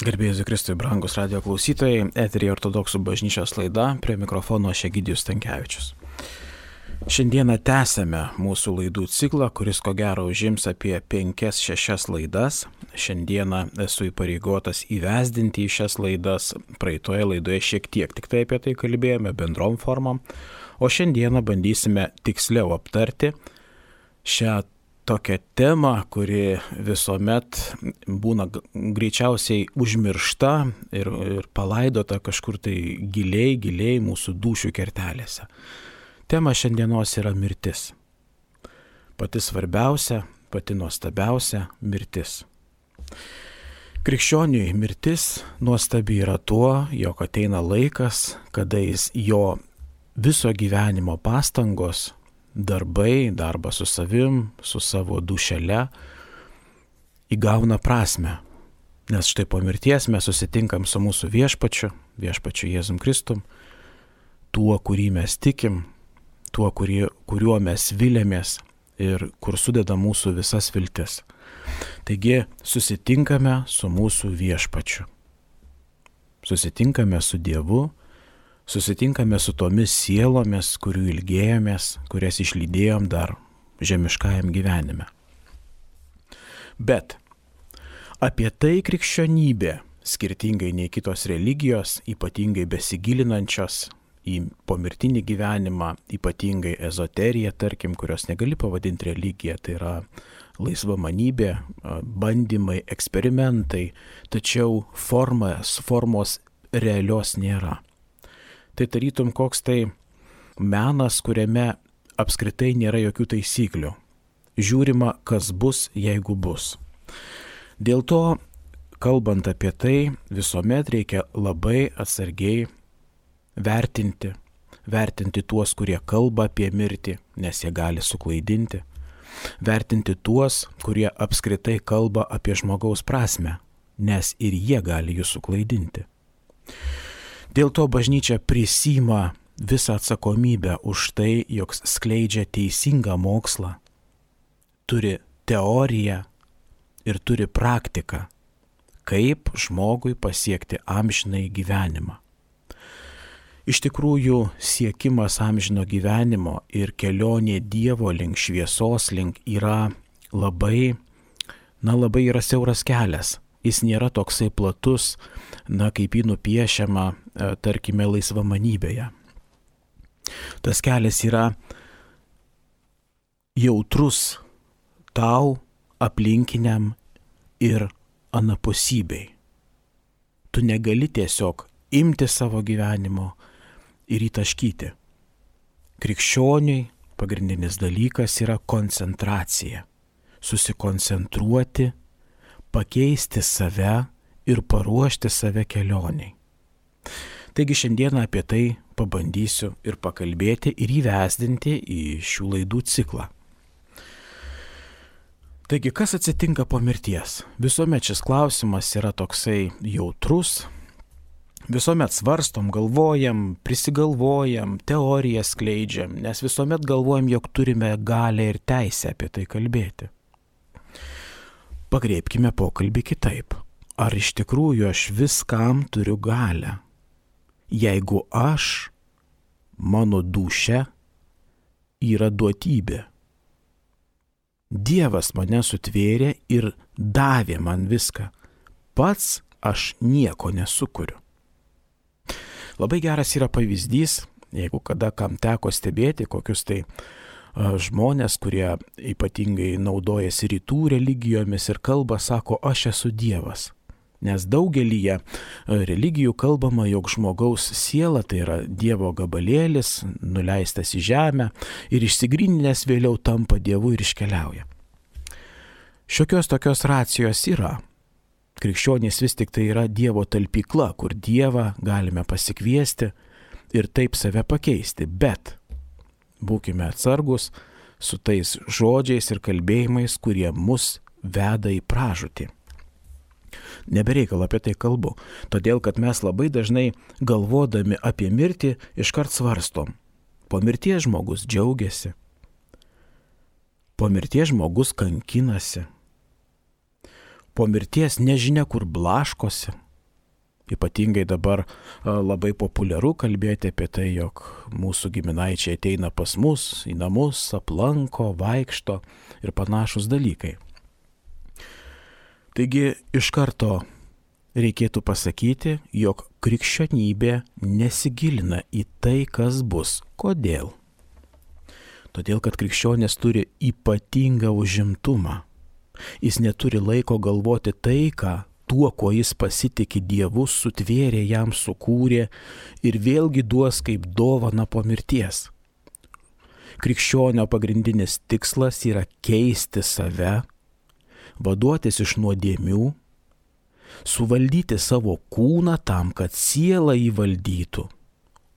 Garbėjus Kristui, brangus radio klausytojai, eteryje Ortodoksų bažnyčios laida, prie mikrofono aš Egidijus Stankevičius. Šiandieną tęsėme mūsų laidų ciklą, kuris ko gero užims apie 5-6 laidas. Šiandieną esu įpareigotas įvesdinti į šias laidas. Praeitoje laidoje šiek tiek tik tai apie tai kalbėjome bendrom formom, o šiandieną bandysime tiksliau aptarti šią tokią temą, kuri visuomet būna greičiausiai užmiršta ir palaidota kažkur tai giliai mūsų dūšių kertelėse. Tema šiandienos yra mirtis. Pati svarbiausia, pati nuostabiausia - mirtis. Krikščioniui mirtis nuostabi yra tuo, jog ateina laikas, kada jis jo viso gyvenimo pastangos, darbai, darbas su savim, su savo dušele įgauna prasme. Nes štai po mirties mes susitinkam su mūsų viešpačiu Jėzum Kristum, tuo, kurį mes tikim, tuo, kuriuo mes vilėmės ir kur sudeda mūsų visas viltis. Taigi susitinkame su mūsų viešpačiu. Susitinkame su Dievu, susitinkame su tomis sielomis, kurių ilgėjomės, kurias išlydėjom dar žemiškajam gyvenime. Bet apie tai krikščionybė, skirtingai nei kitos religijos, ypatingai besigilinančios į pomirtinį gyvenimą, ypatingai ezoteriją, tarkim, kurios negali pavadinti religija, tai yra laisvamanybė, bandymai, eksperimentai, tačiau formos realios nėra. Tai tarytum koks tai menas, kuriame apskritai nėra jokių taisyklių. Žiūrima, kas bus, jeigu bus. Dėl to, kalbant apie tai, visuomet reikia labai atsargiai vertinti tuos, kurie kalba apie mirtį, nes jie gali suklaidinti. Vertinti tuos, kurie apskritai kalba apie žmogaus prasmę, nes ir jie gali jų suklaidinti. Dėl to bažnyčia prisiima visą atsakomybę už tai, jog skleidžia teisingą mokslą, turi teoriją ir turi praktiką, kaip žmogui pasiekti amžinąjį gyvenimą. Iš tikrųjų, siekimas amžino gyvenimo ir kelionė Dievo link, šviesos link yra labai yra siauras kelias. Jis nėra toksai platus, kaip jį nupiešiama, tarkime, laisvamanybėje. Tas kelias yra jautrus tau, aplinkiniam ir anapusybei. Tu negali tiesiog imti savo gyvenimo ir įtaškyti. Krikščioniui pagrindinis dalykas yra koncentracija. Susikoncentruoti, pakeisti save ir paruošti save kelioniai. Taigi šiandieną apie tai pabandysiu ir pakalbėti ir įvesdinti į šių laidų ciklą. Taigi, kas atsitinka po mirties? Visuomet šis klausimas yra toksai jautrus, visuomet svarstom, galvojam, prisigalvojam, teoriją skleidžiam, nes visuomet galvojam, jog turime galę ir teisę apie tai kalbėti. Pakreipkime pokalbį kitaip. Ar iš tikrųjų aš viskam turiu galę? Jeigu mano dūšia yra duotybė. Dievas mane sutvėrė ir davė man viską. Pats aš nieko nesukuriu. Labai geras yra pavyzdys, jeigu kada kam teko stebėti kokius tai žmonės, kurie ypatingai naudojasi rytų religijomis ir kalba, sako, aš esu Dievas. Nes daugelyje religijų kalbama, jog žmogaus siela tai yra Dievo gabalėlis, nuleistas į žemę ir išsigryninęs vėliau tampa Dievu ir iškeliauja. Šiokios tokios racijos yra. Krikščionys vis tik tai yra Dievo talpykla, kur Dievą galime pasikviesti ir taip save pakeisti, bet būkime atsargus su tais žodžiais ir kalbėjimais, kurie mus veda į pražūtį. Nebereikal apie tai kalbu, todėl kad mes labai dažnai galvodami apie mirtį iškart svarstom. Po mirties žmogus džiaugiasi, po mirties žmogus kankinasi, po mirties nežinia kur blaškosi, Ypatingai dabar labai populiaru kalbėti apie tai, jog mūsų giminaičiai ateina pas mus į namus, aplanko, vaikšto ir panašus dalykai. Taigi iš karto reikėtų pasakyti, jog krikščionybė nesigilina į tai, kas bus. Kodėl? Todėl, kad krikščionės turi ypatingą užimtumą. Jis neturi laiko galvoti tai, tuo, kuo jis pasitikė Dievu, sutvėrė, jam sukūrė ir vėlgi duos kaip dovana po mirties. Krikščionio pagrindinis tikslas yra keisti save, vaduotis iš nuodėmių, suvaldyti savo kūną tam, kad siela jį valdytų,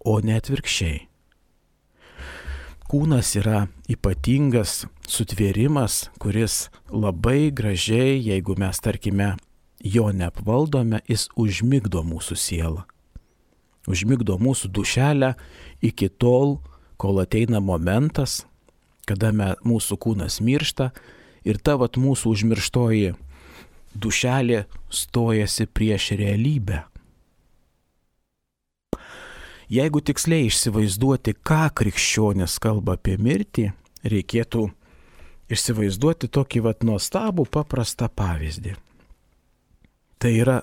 o ne atvirkščiai. Kūnas yra ypatingas sutvėrimas, kuris labai gražiai, jeigu mes, tarkime, jo neapvaldome, jis užmigdo mūsų sielą. Užmigdo mūsų dušelę iki tol, kol ateina momentas, kada mūsų kūnas miršta ir ta mūsų užmirštoji dušelė stojasi prieš realybę. Jeigu tiksliai įsivaizduoti, ką krikščionis kalba apie mirtį, reikėtų įsivaizduoti tokį nuostabų paprastą pavyzdį. Tai yra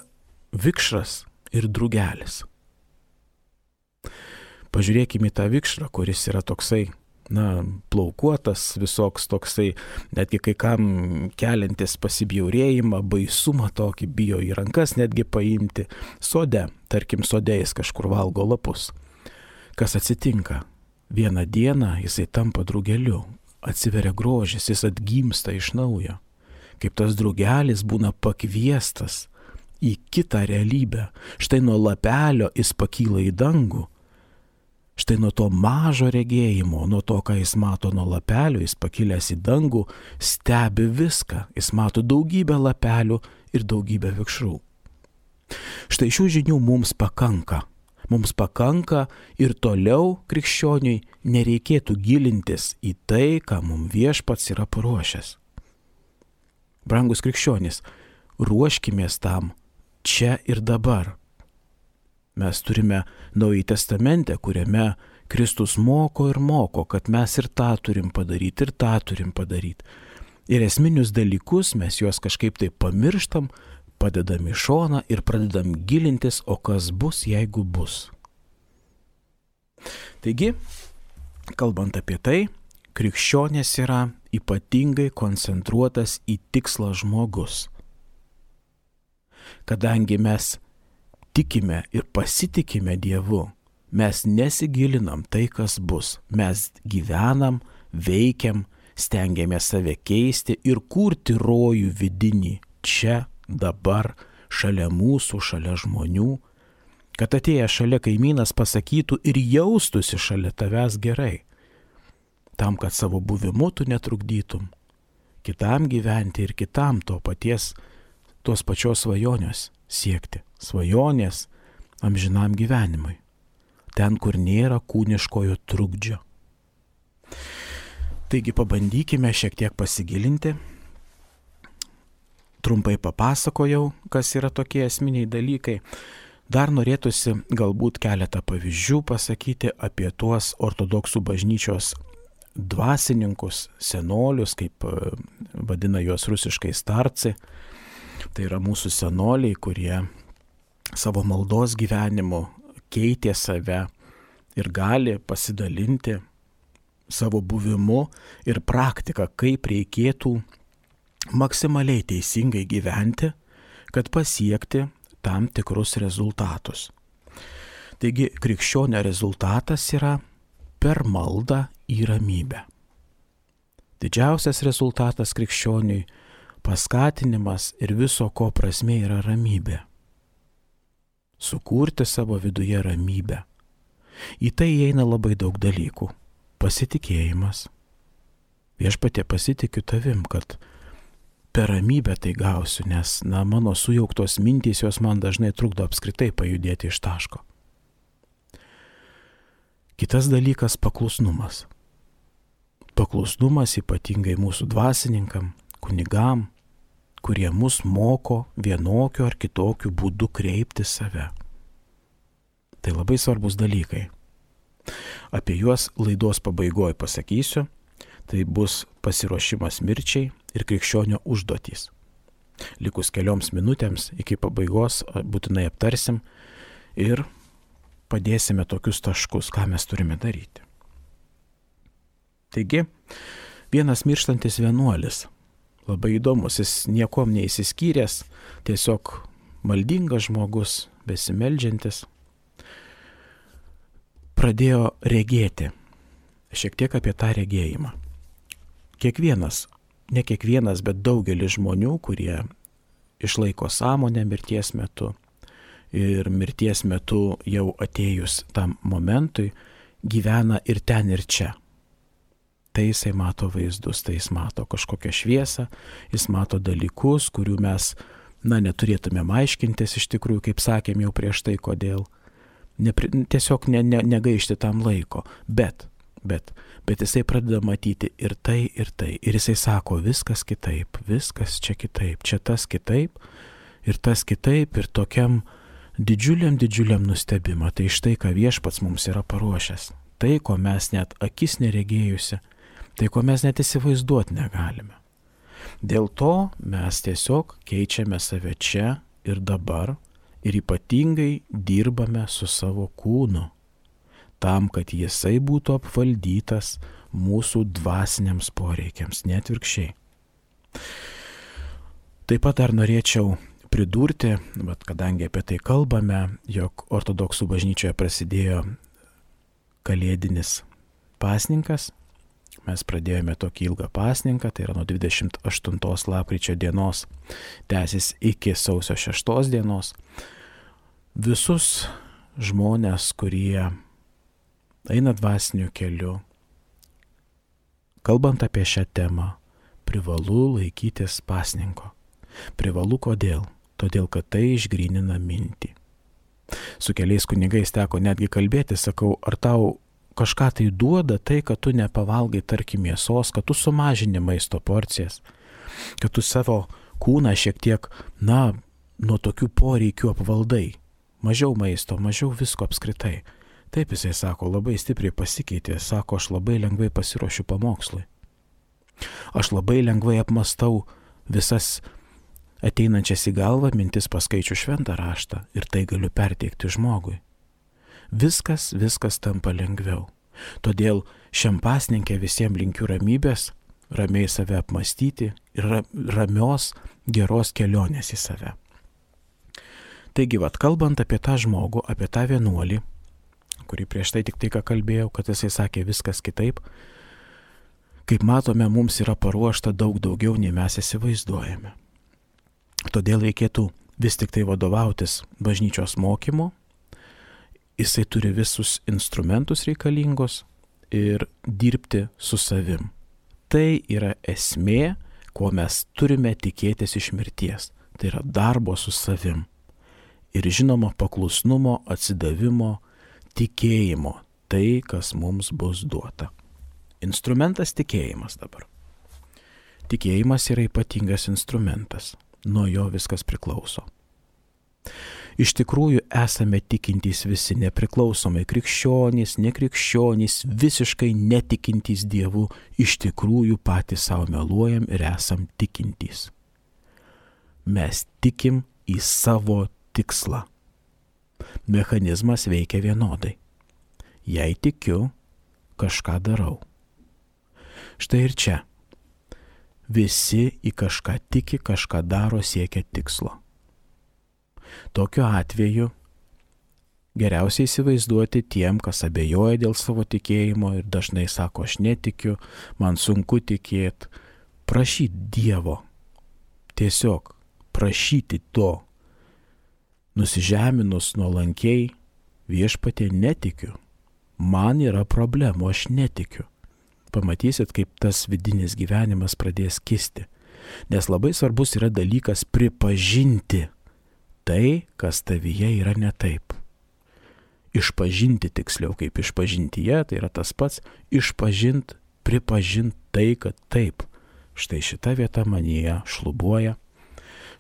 vikšras ir drugelis. Pažiūrėkime į tą vikšrą, kuris yra toksai, plaukuotas, visoks toksai, netgi kai kam keliantis pasibjaurėjimą, baisumą tokį, bijo į rankas netgi paimti. Sode, tarkim, sode jis kažkur valgo lapus. Kas atsitinka? Vieną dieną jisai tampa drugeliu, atsiveria grožis, jis atgimsta iš naujo. Kaip tas drugelis būna pakviestas į kitą realybę. Štai nuo lapelio jis pakyla į dangų. Štai nuo to mažo regėjimo, nuo to, ką jis mato nuo lapelio, jis pakilęs į dangų, stebi viską. Jis mato daugybę lapelių ir daugybę vikšrų. Štai šių žinių mums pakanka. Mums pakanka ir toliau krikščioniui nereikėtų gilintis į tai, ką mums Viešpats yra paruošęs. Brangus krikščionys, ruoškimės tam čia ir dabar. Mes turime Naująjį Testamentą, kuriame Kristus moko ir moko, kad mes ir tą turim padaryti, ir tą turim padaryti. Ir esminius dalykus mes juos kažkaip tai pamirštam, padedam į šoną ir pradedam gilintis, o kas bus, jeigu bus. Taigi, kalbant apie tai, krikščionės yra ypatingai koncentruotas į tikslą žmogus. Kadangi mes tikime ir pasitikime Dievu, mes nesigilinam tai, kas bus. Mes gyvenam, veikiam, stengiamės save keisti ir kurti rojų vidinį čia, dabar, šalia mūsų, šalia žmonių, kad atėjęs šalia kaimynas pasakytų ir jaustųsi šalia tavęs gerai, tam, kad savo buvimu tu netrukdytum kitam gyventi ir kitam tos pačios svajonės siekti. Svajonės amžinam gyvenimui. Ten, kur nėra kūniškojo trukdžio. Taigi pabandykime šiek tiek pasigilinti. Trumpai papasakojau, kas yra tokie esminiai dalykai. Dar norėtųsi galbūt keletą pavyzdžių pasakyti apie tuos ortodoksų bažnyčios dvasininkus, senolius, kaip vadina juos rusiškai starci. Tai yra mūsų senoliai, kurie savo maldos gyvenimu keitė save ir gali pasidalinti savo buvimu ir praktika, kaip reikėtų maksimaliai teisingai gyventi, kad pasiekti tam tikrus rezultatus. Taigi krikščionio rezultatas yra per maldą į ramybę. Didžiausias rezultatas krikščioniui paskatinimas ir viso ko prasmė yra ramybė. Sukurti savo viduje ramybę. Į tai įeina labai daug dalykų. Pasitikėjimas. Viešpatie, pasitikiu tavim, kad per ramybę tai gausiu, nes mano sujauktos mintys jos man dažnai trukdo apskritai pajudėti iš taško. Kitas dalykas – paklusnumas. Paklusnumas ypatingai mūsų dvasininkam, kunigam, kurie mus moko vienokiu ar kitokiu būdu kreipti save. Tai labai svarbus dalykai. Apie juos laidos pabaigoje pasakysiu. Tai bus pasiruošimas mirčiai ir krikščionio užduotys. Likus kelioms minutėms iki pabaigos būtinai aptarsim ir padėsime tokius taškus, ką mes turime daryti. Taigi, vienas mirštantis vienuolis, labai įdomus, jis niekom neįsiskyręs, tiesiog maldingas žmogus, besimeldžiantis, pradėjo regėti. Šiek tiek apie tą regėjimą. Ne kiekvienas, bet daugelis žmonių, kurie išlaiko sąmonę mirties metu ir mirties metu jau atėjus tam momentui, gyvena ir ten ir čia. Tai jisai mato vaizdus, tai jis mato kažkokią šviesą, jis mato dalykus, kurių mes, neturėtumėm aiškintis iš tikrųjų, kaip sakėm jau prieš tai, kodėl. Tiesiog negaišti tam laiko, bet jisai pradeda matyti ir tai, ir jisai sako, viskas kitaip, viskas čia kitaip, čia tas kitaip, ir tokiam didžiuliam nustebimą, tai štai, ką Viešpats mums yra paruošęs, tai, ko mes net akis neregėjusi, tai, ko mes net įsivaizduoti negalime. Dėl to mes tiesiog keičiame save čia ir dabar, ir ypatingai dirbame su savo kūnu, tam, kad jisai būtų apvaldytas mūsų dvasiniams poreikiams, net atvirkščiai. Taip pat dar norėčiau pridurti, bet kadangi apie tai kalbame, jog ortodoksų bažnyčioje prasidėjo kalėdinis pasninkas, mes pradėjome tokį ilgą pasninką, tai yra nuo 28 lapkričio dienos, tęsis iki sausio 6 dienos. Visus žmonės, kurie eina dvasiniu keliu, kalbant apie šią temą, privalu laikytis pasninko. Privalu kodėl? Todėl, kad tai išgrynina mintį. Su keliais kunigais teko netgi kalbėti, sakau, ar tau kažką tai duoda tai, kad tu nepavalgai, tarkim, mėsos, kad tu sumažini maisto porcijas, kad tu savo kūną šiek tiek, nuo tokių poreikių apvaldai. Mažiau maisto, mažiau visko apskritai. Taip jisai sako, labai stipriai pasikeitė, sako, aš labai lengvai pasiruošiu pamokslui. Aš labai lengvai apmastau visas ateinančias į galvą mintis, paskaičiu šventą raštą ir tai galiu perteikti žmogui. Viskas tampa lengviau. Todėl šiam pasninke visiems linkiu ramybės, ramiai save apmastyti ir ramios, geros kelionės į save. Taigi, kalbant apie tą žmogų, apie tą vienuolį, kurį prieš tai tik ką kalbėjau, kad jisai sakė viskas kitaip, kaip matome, mums yra paruošta daug daugiau, nei mes įsivaizduojame. Todėl reikėtų vis tik tai vadovautis bažnyčios mokymu, jisai turi visus instrumentus reikalingus ir dirbti su savim. Tai yra esmė, ko mes turime tikėtis iš mirties. Tai yra darbo su savim. Ir žinoma paklusnumo, atsidavimo, tikėjimo, tai, kas mums bus duota. Instrumentas tikėjimas dabar. Tikėjimas yra ypatingas instrumentas, nuo jo viskas priklauso. Iš tikrųjų esame tikintys visi, nepriklausomai krikščionys, nekrikščionys, visiškai netikintys Dievu, iš tikrųjų patys savo meluojam ir esam tikintys. Mes tikim į savo tikslą. Mechanizmas veikia vienodai. Jei tikiu, kažką darau. Štai ir čia. Visi į kažką tiki, kažką daro, siekia tikslo. Tokiu atveju geriausiai įsivaizduoti tiem, kas abejoja dėl savo tikėjimo ir dažnai sako, aš netikiu, man sunku tikėti, prašyti Dievo. Tiesiog prašyti to. Nusižeminus nuolankiai, Viešpatie, netikiu. Man yra problemų, aš netikiu. Pamatysit, kaip tas vidinis gyvenimas pradės kisti. Nes labai svarbus yra dalykas pripažinti tai, kas tavyje yra ne taip. Išpažinti tiksliau, kaip išpažintyje, tai yra tas pats, pripažinti tai, kad taip. Štai šita vieta manyje šlubuoja,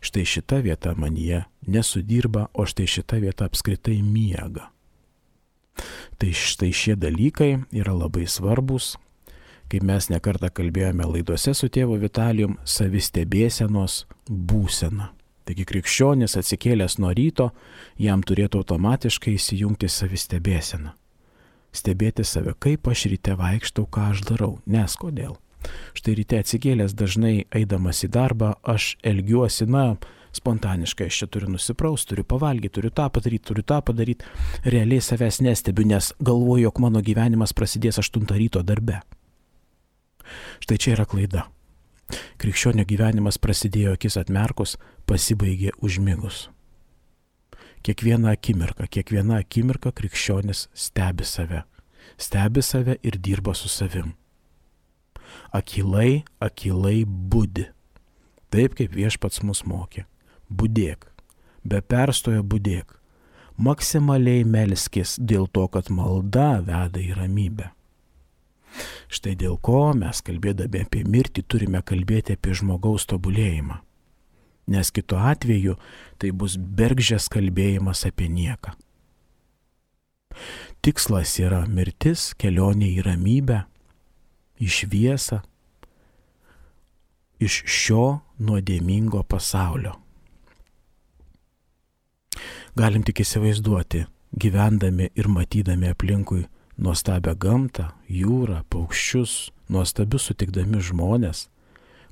Štai šita vieta manyje nesudirba, o štai šita vieta apskritai miega. Tai štai šie dalykai yra labai svarbus, kaip mes nekartą kalbėjome laidose su tėvu Vitalijum, savistebėsenos būsena. Taigi krikščionis atsikėlęs nuo ryto, jam turėtų automatiškai įsijungti savistebėseną. Stebėti save, kaip aš ryte vaikštau, ką aš darau, nes kodėl. Štai ryte atsikėlęs dažnai eidamas į darbą, aš elgiuosi, spontaniškai, aš čia turiu nusipraust, turiu pavalgyti, turiu tą padaryti. Realiai savęs nestebiu, nes galvoju, jog mano gyvenimas prasidės 8 ryto darbe. Štai čia yra klaida. Krikščionio gyvenimas prasidėjo akis atmerkus, pasibaigė užmigus. Kiekvieną akimirką krikščionis stebi save ir dirba su savim. Akylai budi. Taip kaip Viešpats mus mokė. Budėk, be perstojo budėk. Maksimaliai melskis dėl to, kad malda veda į ramybę. Štai dėl ko mes kalbėdami apie mirtį turime kalbėti apie žmogaus tobulėjimą. Nes kitu atveju tai bus bergždžias kalbėjimas apie nieką. Tikslas yra mirtis, kelionė į ramybę, į šviesą, iš šio nuodėmingo pasaulio. Galim tik įsivaizduoti, gyvendami ir matydami aplinkui nuostabią gamtą, jūrą, paukščius, nuostabius sutikdami žmonės,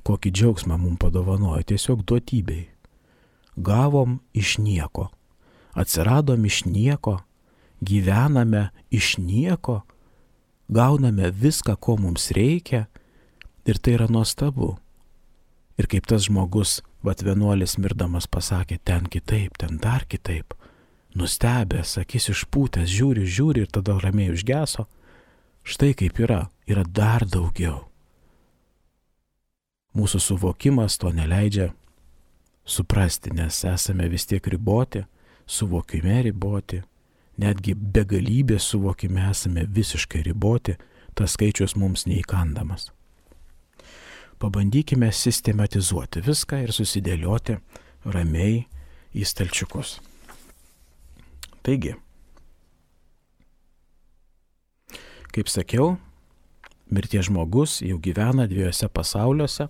kokį džiaugsmą mums padovanojo tiesiog duotybei. Gavom iš nieko, atsiradom iš nieko, gyvename iš nieko, gauname viską, ko mums reikia ir tai yra nuostabu. Ir kaip tas žmogus, vienuolis mirdamas pasakė, ten kitaip, ten dar kitaip, nustebęs, akis išpūtęs, žiūri ir tada ramiai užgeso. Štai kaip yra dar daugiau. Mūsų suvokimas to neleidžia suprasti, nes esame vis tiek riboti, suvokime riboti, netgi begalybės suvokime esame visiškai riboti, tas skaičius mums neįkandamas. Pabandykime sistematizuoti viską ir susidėlioti ramiai į stalčiukus. Taigi, kaip sakiau, mirties žmogus jau gyvena 2 pasauliuose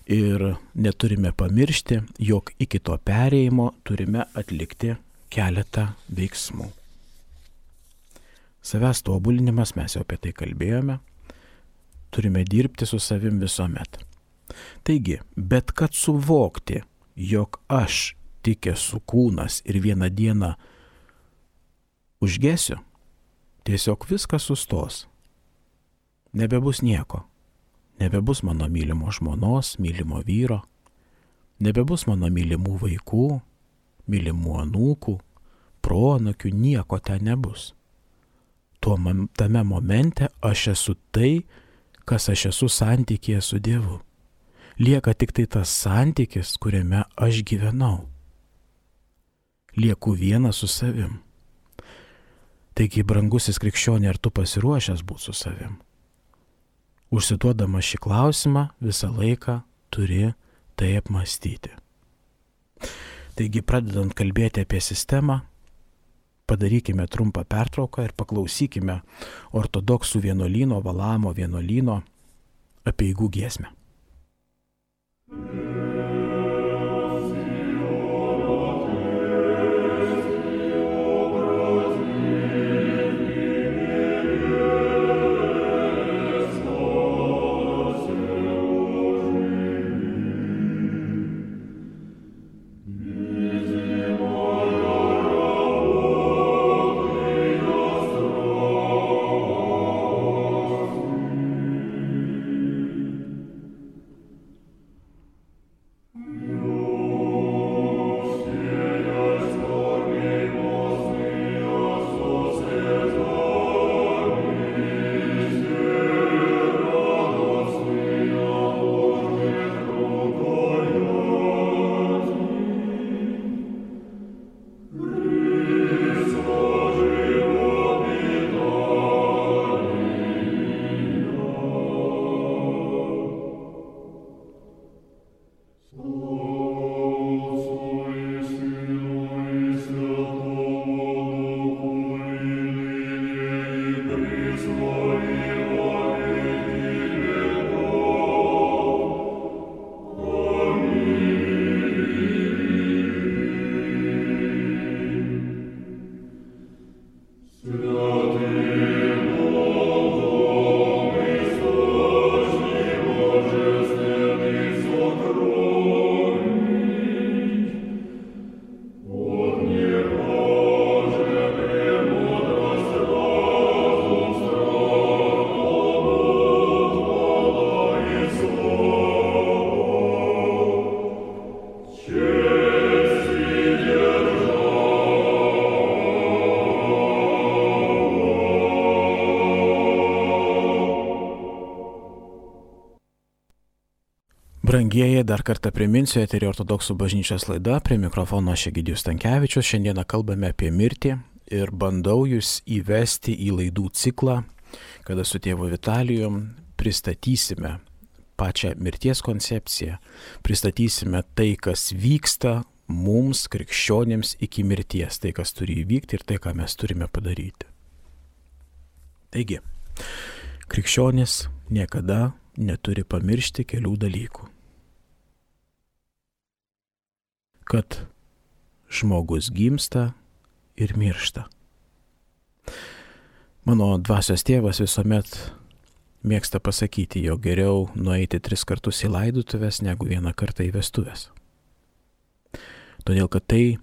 ir neturime pamiršti, jog iki to perėjimo turime atlikti keletą veiksmų. Savęs tobulinimas, mes jau apie tai kalbėjome, turime dirbti su savim visuomet. Taigi, bet kad suvokti, jog aš tik esu kūnas ir vieną dieną užgesiu, tiesiog viskas sustos. Nebebus nieko. Nebebus mano mylimo žmonos, mylimo vyro, nebebus mano mylimų vaikų, mylimų anūkų, proanūkių, nieko ten nebus. Tame momente aš esu tai, kas aš esu santykyje su Dievu. Lieka tik tai tas santykis, kuriame aš gyvenau. Lieku vienas su savim. Taigi, brangusis krikščionė, ar tu pasiruošęs būti su savim? Užsiduodamas šį klausimą, visą laiką turi tai apmąstyti. Taigi, pradedant kalbėti apie sistemą, padarykime trumpą pertrauką ir paklausykime ortodoksų vienuolyno, Valamo vienuolyno apeigų giesmę. Brangieji, dar kartą priminsiu, eterio ortodoksų bažnyčios laida, prie mikrofono aš Egidijus Stankevičius. Šiandieną kalbame apie mirtį ir bandau jūs įvesti į laidų ciklą, kada su tėvu Vitalijum pristatysime pačią mirties koncepciją, pristatysime tai, kas vyksta mums, krikščionėms, iki mirties, tai, kas turi įvykti ir tai, ką mes turime padaryti. Taigi, krikščionis niekada neturi pamiršti kelių dalykų. Kad žmogus gimsta ir miršta. Mano dvasios tėvas visuomet mėgsta pasakyti, jog geriau nueiti 3 kartus į laidotuvės, negu 1 kartą į vestuves. Todėl, kad tai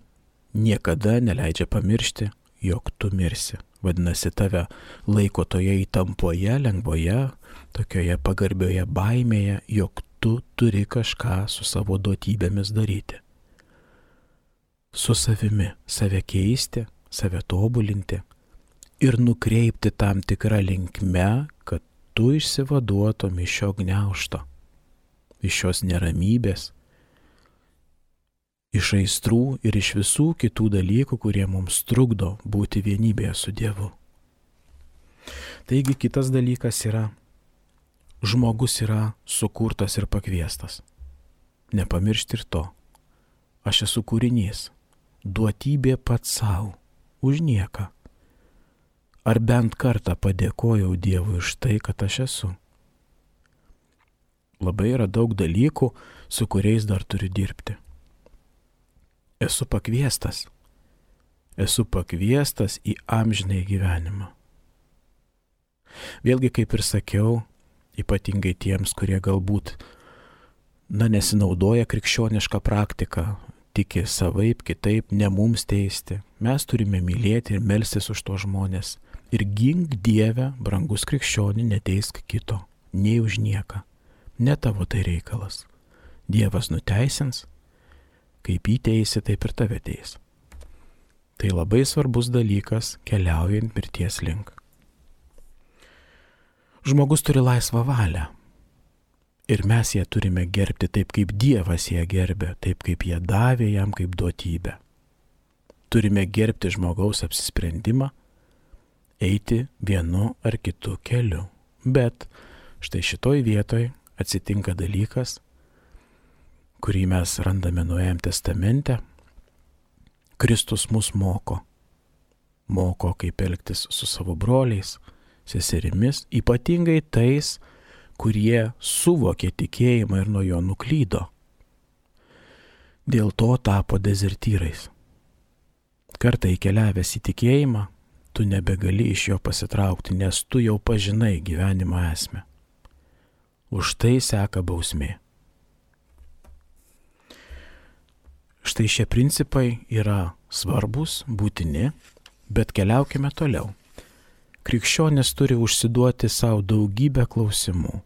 niekada neleidžia pamiršti, jog tu mirsi. Vadinasi, tave laiko toje įtampoje, lengvoje, tokioje pagarbioje baimėje, jog tu turi kažką su savo duotybėmis daryti. Su savimi, save keisti, save tobulinti ir nukreipti tam tikrą linkme, kad tu išsivaduotum iš šio gniaužto, iš šios neramybės, iš aistrų ir iš visų kitų dalykų, kurie mums trukdo būti vienybėje su Dievu. Taigi kitas dalykas yra, žmogus yra sukurtas ir pakviestas. Nepamiršti ir to. Aš esu kūrinys, duotybė pats savo, už nieką. Ar bent kartą padėkojau Dievui už tai, kad aš esu. Labai yra daug dalykų, su kuriais dar turiu dirbti. Esu pakviestas į amžinąjį gyvenimą. Vėlgi, kaip ir sakiau, ypatingai tiems, kurie galbūt nesinaudoja krikščionišką praktiką, tiki savaip, kitaip, ne mums teisti. Mes turime mylėti ir melstis už tuos žmonės. Ir gink Dieve, brangus krikščionį, neteisk kito, nei už nieką. Ne tavo tai reikalas. Dievas nuteisins, kaip jį teisi, taip ir tave teis. Tai labai svarbus dalykas keliaujant mirties link. Žmogus turi laisvą valią. Ir mes ją turime gerbti taip, kaip Dievas ją gerbė, taip, kaip ją davė jam kaip duotybę. Turime gerbti žmogaus apsisprendimą, eiti vienu ar kitu keliu. Bet štai šitoj vietoj atsitinka dalykas, kurį mes randame Naujajame testamente. Kristus mus moko. Moko, kaip elgtis su savo broliais, seserimis, ypatingai tais, kurie suvokė tikėjimą ir nuo jo nuklydo. Dėl to tapo dezertyrais. Kartą įkeliavęs į tikėjimą, tu nebegali iš jo pasitraukti, nes tu jau pažinai gyvenimo esmę. Už tai seka bausmė. Štai šie principai yra svarbus, būtini, bet keliaukime toliau. Krikščionis turi užsiduoti savo daugybę klausimų.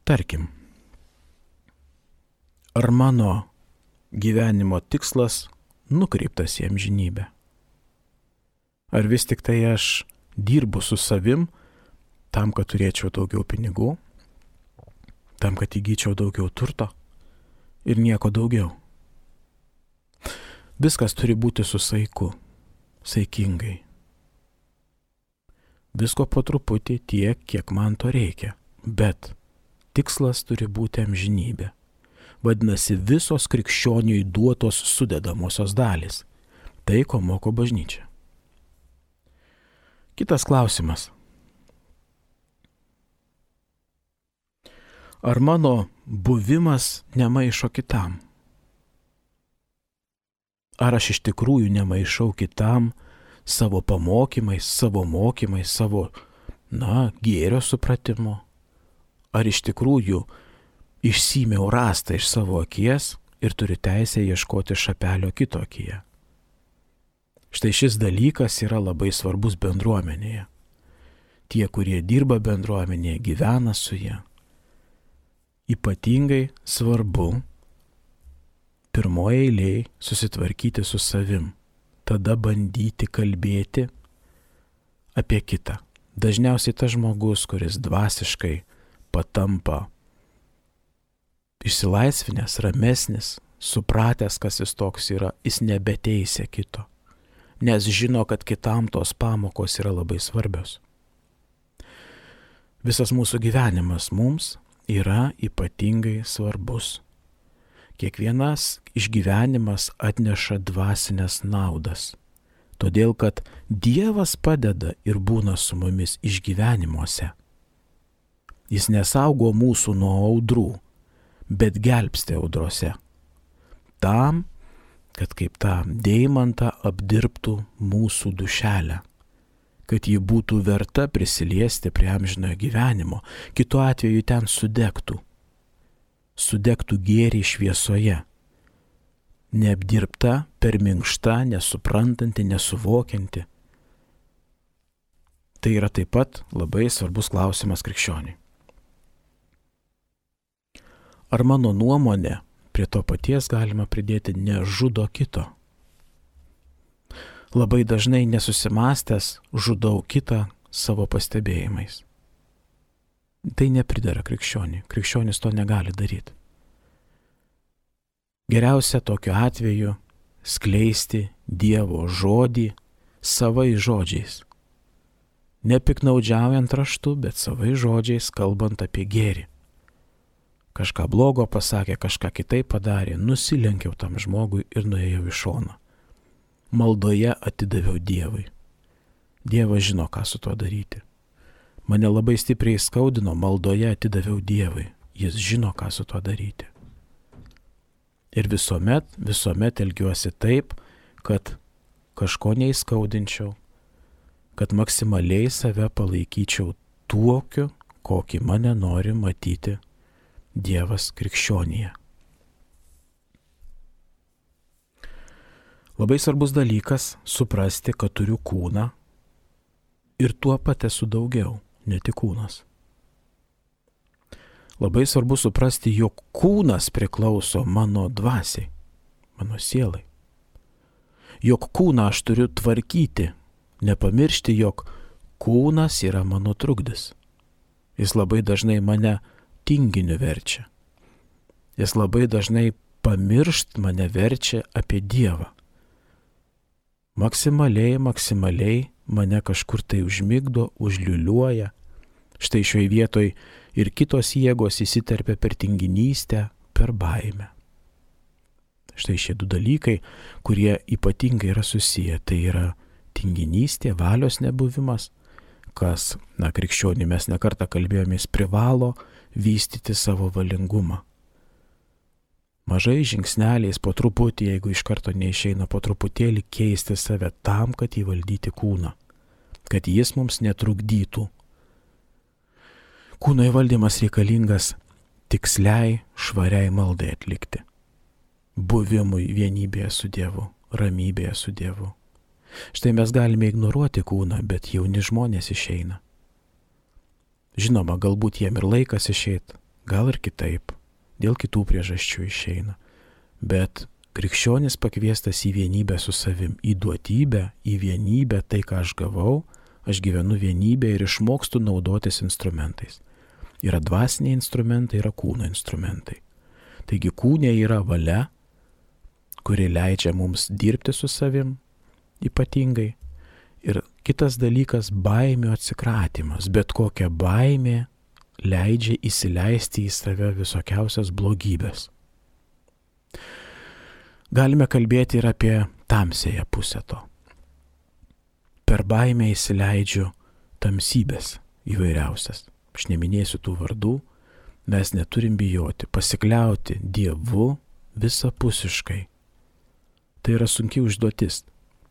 Tarkim, ar mano gyvenimo tikslas nukreiptas į amžinybę? Ar vis tik tai aš dirbu su savim tam, kad turėčiau daugiau pinigų, tam, kad įgyčiau daugiau turto ir nieko daugiau? Viskas turi būti su saiku, saikingai. Visko po truputį tiek, kiek man to reikia, bet tikslas turi būti amžinybė. Vadinasi, visos krikščioniui duotos sudedamosios dalys. Tai, ko moko bažnyčia. Kitas klausimas. Ar mano buvimas nemaišo kitam? Ar aš iš tikrųjų nemaišau kitam savo pamokymais, savo mokymais, savo, gėrio supratimu? Ar iš tikrųjų išsimiau rastą iš savo akies ir turiu teisę ieškoti šapelio kito akyje? Štai šis dalykas yra labai svarbus bendruomenėje. Tie, kurie dirba bendruomenėje, gyvena su ja. Ypatingai svarbu pirmoje eilėje susitvarkyti su savim, tada bandyti kalbėti apie kitą. Dažniausiai tas žmogus, kuris dvasiškai patampa išsilaisvinęs, ramesnis, supratęs, kas jis toks yra, jis nebeteisia kito, nes žino, kad kitam tos pamokos yra labai svarbios. Visas mūsų gyvenimas mums yra ypatingai svarbus. Kiekvienas išgyvenimas atneša dvasinės naudas, todėl kad Dievas padeda ir būna su mumis išgyvenimuose. Jis nesaugo mūsų nuo audrų, bet gelbsti audrose. Tam, kad kaip tą deimantą apdirbtų mūsų dušelę, kad ji būtų verta prisiliesti prie amžinojo gyvenimo, kitu atveju ten sudegtų gėrį šviesoje, neapdirbta, per minkšta, nesuprantanti, nesuvokianti. Tai yra taip pat labai svarbus klausimas krikščioniui. Ar mano nuomonė prie to paties galima pridėti nežudo kito? Labai dažnai nesusimastęs žudau kitą savo pastebėjimais. Tai nepridera krikščioniui. Krikščionis to negali daryti. Geriausia tokiu atveju skleisti Dievo žodį savais žodžiais. Nepiknaudžiaujant raštu, bet savais žodžiais kalbant apie gėrį. Kažką blogo pasakė, kažką kitaip padarė, nusilenkiau tam žmogui ir nuėjau į šoną. Maldoje atidaviau Dievui. Dievas žino, ką su tuo daryti. Mane labai stipriai skaudino, maldoje atidaviau Dievui. Jis žino, ką su tuo daryti. Ir visuomet elgiuosi taip, kad kažko neįskaudinčiau, kad maksimaliai save palaikyčiau tokiu, kokį mane nori matyti Dievas krikščionyje. Labai svarbus dalykas suprasti, kad turiu kūną ir tuo pat esu daugiau, ne tik kūnas. Labai svarbu suprasti, jog kūnas priklauso mano dvasiai, mano sielai. Jog kūną aš turiu tvarkyti, nepamiršti, jog kūnas yra mano trukdis. Jis labai dažnai mane tinginiu verčia. Jis labai dažnai pamiršt mane verčia apie Dievą. Maksimaliai mane kažkur tai užmigdo, užliuliuoja. Štai šioje vietoj ir kitos jėgos įsiterpia per tinginystę, per baimę. Štai šie du dalykai, kurie ypatingai yra susiję, tai yra tinginystė, valios nebuvimas, kas, krikščionį mes nekartą kalbėjomės, privalo vystyti savo valingumą. Mažai žingsneliais po truputį, jeigu iš karto neišeina, po truputėlį keisti save tam, kad įvaldyti kūną, kad jis mums netrukdytų. Kūno įvaldymas reikalingas tiksliai, švariai maldai atlikti. Buvimui vienybėje su Dievu, ramybėje su Dievu. Štai mes galime ignoruoti kūną, bet jauni žmonės išeina. Žinoma, galbūt jiem ir laikas išeit, gal ir kitaip, dėl kitų priežasčių išeina. Bet krikščionis pakviestas į vienybę su savim, į duotybę, į vienybę, tai ką aš gavau, aš gyvenu vienybę ir išmokstu naudotis instrumentais. Yra dvasiniai instrumentai, yra kūno instrumentai. Taigi kūne yra valia, kuri leidžia mums dirbti su savim ypatingai. Ir kitas dalykas - baimių atsikratymas. Bet kokia baimė leidžia įsileisti į save visokiausias blogybės. Galime kalbėti ir apie tamsiąją pusę to. Per baimę įsileidžiu tamsybės įvairiausias. Aš neminėsiu tų vardų, mes neturim bijoti, pasikliauti Dievu visapusiškai. Tai yra sunki užduotis.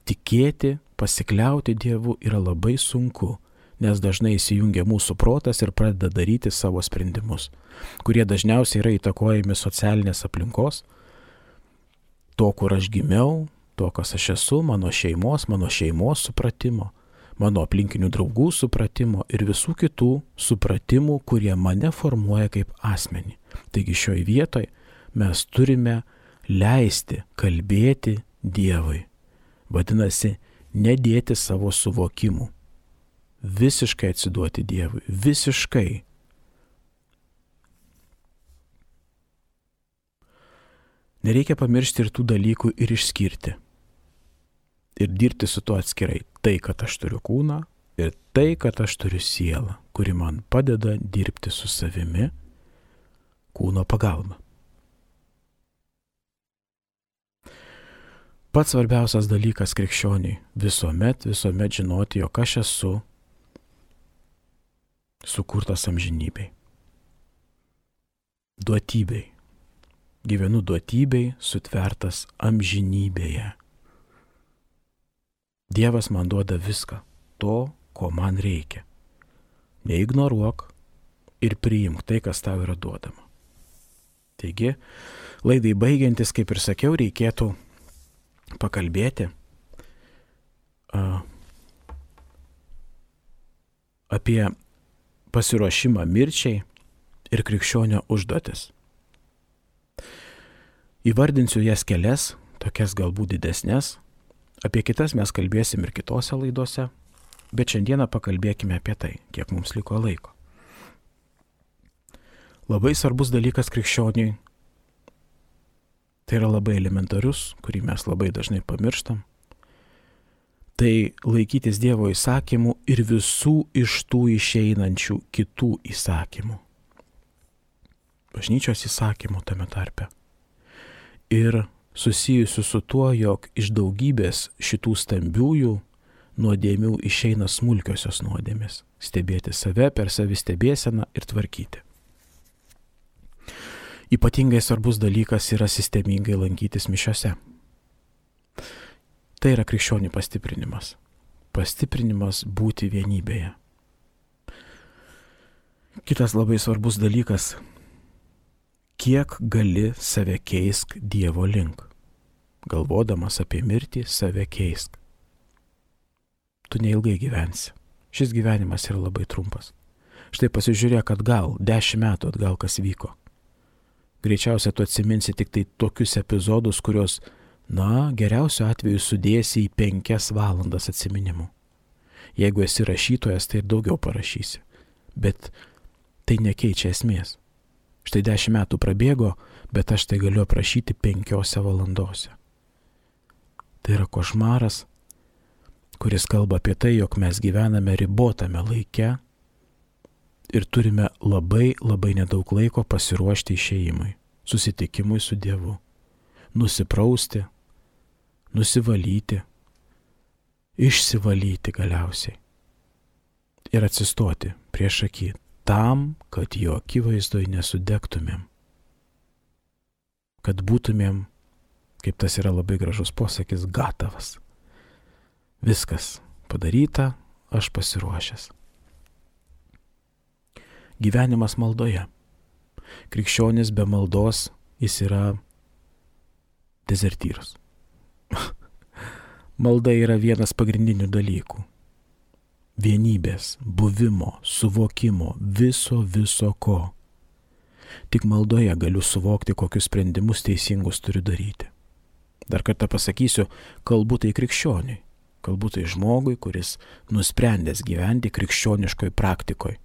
Tikėti, pasikliauti Dievu yra labai sunku, nes dažnai įsijungia mūsų protas ir pradeda daryti savo sprendimus, kurie dažniausiai yra įtakojami socialinės aplinkos, to, kur aš gimiau, to, kas aš esu, mano šeimos supratimo, mano aplinkinių draugų supratimo ir visų kitų supratimų, kurie mane formuoja kaip asmenį. Taigi šioje vietoje mes turime leisti kalbėti Dievui. Vadinasi, nedėti savo suvokimų. Visiškai atsiduoti Dievui. Visiškai. Nereikia pamiršti ir tų dalykų ir išskirti. Ir dirbti su tuo atskirai. Tai, kad aš turiu kūną ir tai, kad aš turiu sielą, kuri man padeda dirbti su savimi kūno pagalba. Pats svarbiausias dalykas krikščioniui visuomet žinoti, jog aš esu sukurtas amžinybei. Duotybei. Gyvenu duotybei, sutvertas amžinybėje. Dievas man duoda viską, to, ko man reikia. Neignoruok ir priimk tai, kas tau yra duodama. Taigi, laidai baigiantis, kaip ir sakiau, reikėtų pakalbėti apie pasiruošimą mirčiai ir krikščionio užduotis. Įvardinsiu jas kelias, tokias galbūt didesnės, apie kitas mes kalbėsim ir kitose laidose, bet šiandieną pakalbėkime apie tai, kiek mums liko laiko. Labai svarbus dalykas krikščioniui, tai yra labai elementarus, kurį mes labai dažnai pamirštam, tai laikytis Dievo įsakymų ir visų iš tų išeinančių kitų įsakymų. Bažnyčios įsakymų tame tarpe. Ir susijusių su tuo, jog iš daugybės šitų stambiųjų nuodėmių išeina smulkiosios nuodėmės. Stebėti save, per savistebėseną ir tvarkyti. Ypatingai svarbus dalykas yra sistemingai lankytis mišiose. Tai yra krikščionių pastiprinimas. Pastiprinimas būti vienybėje. Kitas labai svarbus dalykas. Kiek gali save keisk Dievo link. Galvodamas apie mirtį, save keisk. Tu neilgai gyvensi. Šis gyvenimas yra labai trumpas. Štai pasižiūrėk atgal, 10 metų atgal kas vyko. Greičiausiai tu atsiminsi tik tai tokius epizodus, kurios, geriausiu atveju sudėsi į 5 valandas atsiminimų. Jeigu esi rašytojas, tai ir daugiau parašysi. Bet tai nekeičia esmės. Štai 10 metų prabėgo, bet aš tai galiu aprašyti 5 valandose. Tai yra košmaras, kuris kalba apie tai, jog mes gyvename ribotame laike ir turime labai nedaug laiko pasiruošti išėjimui, susitikimui su Dievu, nusiprausti, nusivalyti, išsivalyti galiausiai ir atsistoti prieš akį tam, kad jo akivaizdoj nesudegtumėm, kad būtumėm, kaip tas yra labai gražus posakis, gatavas. Viskas padaryta, aš pasiruošęs. Gyvenimas maldoje. Krikščionis be maldos, jis yra dezertyras. Malda yra vienas pagrindinių dalykų. Vienybės, buvimo, suvokimo, viso ko. Tik maldoje galiu suvokti, kokius sprendimus teisingus turiu daryti. Dar kartą pasakysiu, kalbu tai krikščioniui, kalbu tai žmogui, kuris nusprendęs gyventi krikščioniškoj praktikoje.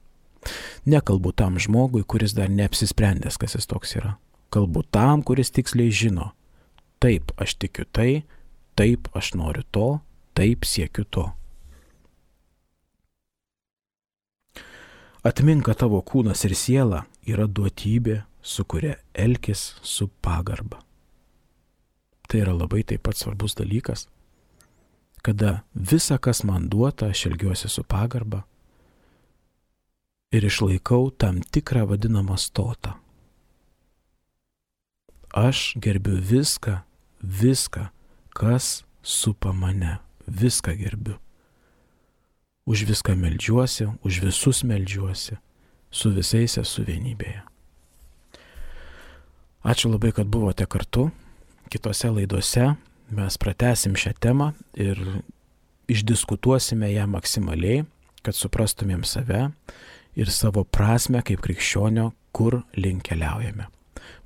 Nekalbu tam žmogui, kuris dar neapsisprendęs, kas jis toks yra. Kalbu tam, kuris tiksliai žino, taip aš tikiu tai, taip aš noriu to, taip siekiu to. Atmink, kad tavo kūnas ir siela yra duotybė, su kuria elkis su pagarba. Tai yra labai taip pat svarbus dalykas, kada visa, kas man duota, aš elgiuosi su pagarba ir išlaikau tam tikrą vadinamą stotą. Aš gerbiu viską, kas supa mane, viską gerbiu. Už viską meldžiuosi, už visus meldžiuosi, su visais esu vienybėje. Ačiū labai, kad buvote kartu. Kitose laidose mes pratęsim šią temą ir išdiskutuosime ją maksimaliai, kad suprastumėm save ir savo prasmę kaip krikščionio, kur link keliaujame.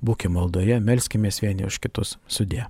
Būkime maldoje, melskimės vieni už kitus. Sudie.